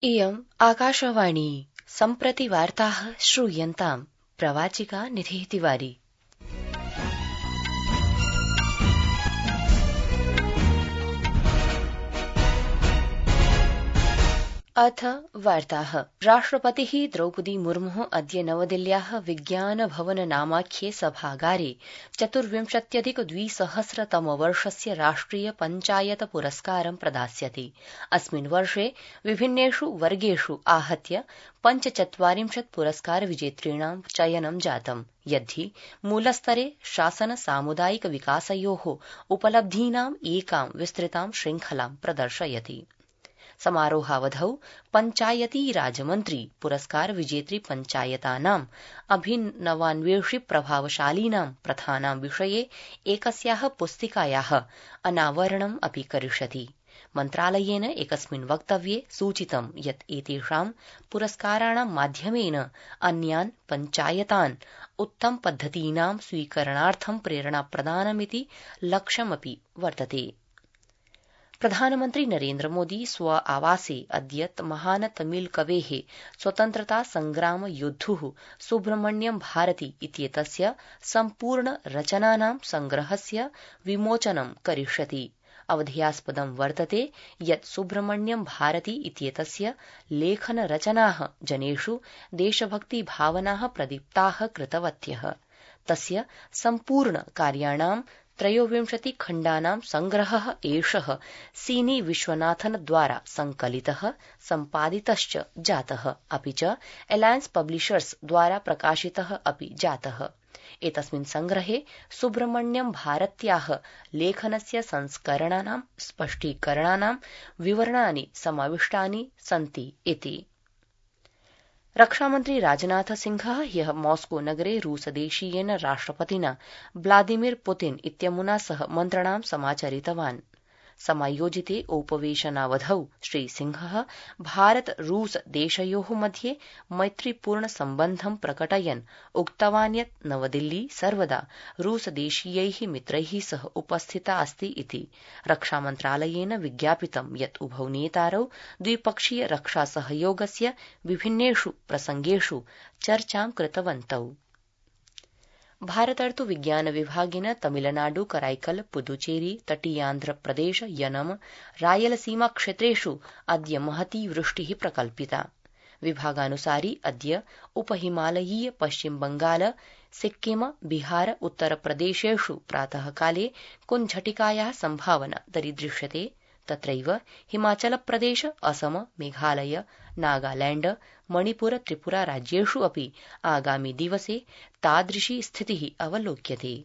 इयम् आकाशवाणी सम्प्रति वार्ताः श्रूयन्ताम् प्रवाचिका निधिः तिवारी। अथ वार्ताः। राष्ट्रपतिः द्रौपदी मुर्मुः अद्य नवदिल्ल्याः विज्ञान भवन नामाख्ये सभागारे 24,200 राष्ट्रिय पञ्चायत पुरस्कारं प्रदास्यति। अस्मिन् वर्षे विभिन्नेषु वर्गेषु आहत्य 45 पुरस्कार विजेतॄणां चयनं जातम्, यद्धि मूलस्तरे शासन सामुदायिक विकासयोः उपलब्धीनाम् एकां विस्तृतां शृङ्खलां प्रदर्शयति। समारोहावधौ पञ्चायती राजमन्त्री पुरस्कार विजेतृ पञ्चायतानाम् अभिनवान्वेषि प्रभावशालीनां प्रथानां विषये एकस्याः पुस्तिकायाः अनावरणम् अपि करिष्यति। मन्त्रालयेन एकस्मिन् वक्तव्ये सूचितं यत् एतेषां पुरस्काराणां माध्यमेन अन्यान् पञ्चायतान् उत्तमपद्धतीनां स्वीकरणार्थं प्रेरणाप्रदानमिति लक्ष्यमपि वर्तते। प्रधानमन्त्री नरेन्द्र मोदी स्व आवासे अद्य महान् तमिल कवेः स्वतन्त्रता संग्राम योद्धुः सुब्रह्मण्यम भारती इत्येतस्य सम्पूर्ण रचनानां संग्रहस्य विमोचनं करिष्यति। अवधेयास्पदं वर्तते यत् सुब्रह्मण्यम भारती इत्येतस्य लेखन रचनाः जनेषु देशभक्ति भावनाः प्रदीप्ताः कृतवत्यः। तस्य सम्पूर्ण कार्याणां 23 खण्डानां संग्रहः एषः सीनी विश्वनाथन द्वारा संकलितः सम्पादितश्च जातः, अपि च अलायन्स पब्लिशर्स द्वारा प्रकाशितः अपि जातः। एतस्मिन् संग्रहे सुब्रह्मण्यम भारत्याः लेखनस्य संस्करणानां स्पष्टीकरणानां विवरणानि समाविष्टानि सन्ति इति। रक्षामन्त्री राजनाथ सिंहः ह्यः मॉस्को नगरे रूसदेशीयेन राष्ट्रपतिना व्लादिमीर पुतिन इत्यमुना सह मन्त्रणां समाचरितवान्। समायोजिते उपवेशनावधौ श्रीसिंहः भारत रूस देशयोः मध्ये मैत्रीपूर्ण सम्बन्धं प्रकटयन् उक्तवान् यत् नवदिल्ली सर्वदा रूसदेशीयैः मित्रैः सह उपस्थिता अस्ति इति। रक्षामन्त्रालयेन विज्ञापितं यत् उभौ नेतारौ द्विपक्षीय रक्षासहयोगस्य विभिन्नेषु प्रसंगेषु चर्चां कृतवन्तौ। भारतर्तु विज्ञान विभागेन तमिलनाडु कराईकल पुदुचेरी तटीयान्ध्रप्रदेश यनम रायलसीमा क्षेत्रेषु अद्य महती वृष्टिः प्रकल्पिता। विभागानुसारि अद्य उपहिमालयीय पश्चिम बंगाल सिक्किम बिहार उत्तरप्रदेशेषु प्रातःकाले कुञ्झटिकायाः सम्भावना दरीदृश्यते। तत्रैव हिमाचलप्रदेश असम मेघालय नागालैण्ड मणिपुर त्रिपुरा राज्येषु अपि आगामि दिवसे तादृशी स्थितिः अवलोक्यते।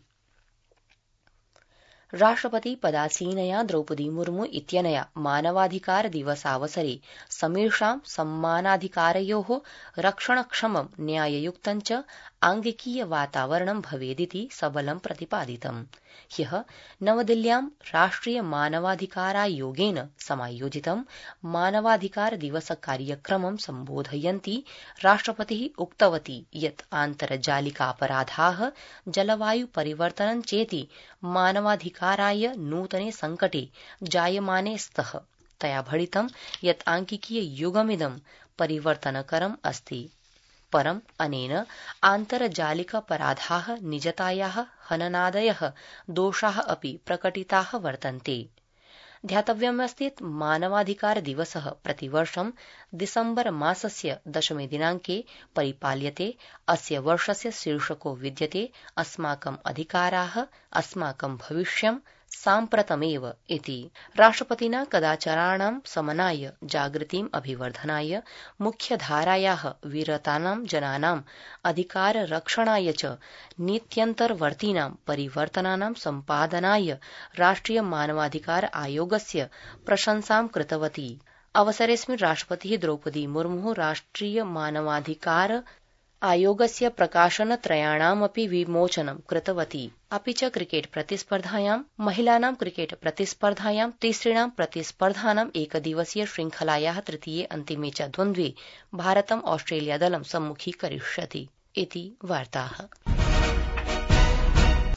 राष्ट्रपति पदासीनया द्रौपदी मुर्मु इत्यनया मानवाधिकार दिवसावसरे समेषां सम्मानाधिकारयोः रक्षणक्षमं न्याययुक्तं च आङ्गिकीय वातावरणं भवेदिति सबलं प्रतिपादितम्। ह्यः नवदिल्ल्यां राष्ट्रिय मानवाधिकारायोगेन समायोजितं मानवाधिकार दिवस कार्यक्रमं सम्बोधयन्ती राष्ट्रपतिः उक्तवती यत् आन्तर्जालिकापराधाः जलवायु परिवर्तनं चेति मानवाधिकाराय नूतने संकटे जायमाने स्तः। तया भणितं यत् आङ्किकीय युगमिदं परिवर्तनकरम् अस्ति, परम् अनेन आन्तर्जालिकापराधाः निजतायाः हननादयः दोषाः अपि प्रकटिताः वर्तन्ते। ध्यातव्यमस्ति यत् मानवाधिकार दिवसः प्रतिवर्षं दिसम्बर मासस्य 10 दिनाङ्के परिपाल्यते। अस्य वर्षस्य शीर्षको विद्यते अस्माकम् अधिकाराः अस्माकं भविष्यं साम्प्रतमेव इति। राष्ट्रपतिना कदाचाराणां समनाय जागृतिम् अभिवर्धनाय मुख्यधारायाः विरतानां जनानाम् अधिकाररक्षणाय च नीत्यन्तर्वर्तीनां परिवर्तनानां सम्पादनाय राष्ट्रिय मानवाधिकार आयोगस्य प्रशंसां कृतवती। अवसरेऽस्मिन् राष्ट्रपतिः द्रौपदी मुर्मुः राष्ट्रिय मानवाधिकार आयोगस्य प्रकाशनत्रयाणामपि विमोचनं कृतवती। अपि च क्रिकेट प्रतिस्पर्धायां महिलानां क्रिकेट प्रतिस्पर्धायां तिसृणां प्रतिस्पर्धानां एकदिवसीय श्रृंखलायाः तृतीये अन्तिमे च द्वन्द्वे भारतम् ऑस्ट्रेलिया दलं सम्मुखीकरिष्यति इति वार्ताः।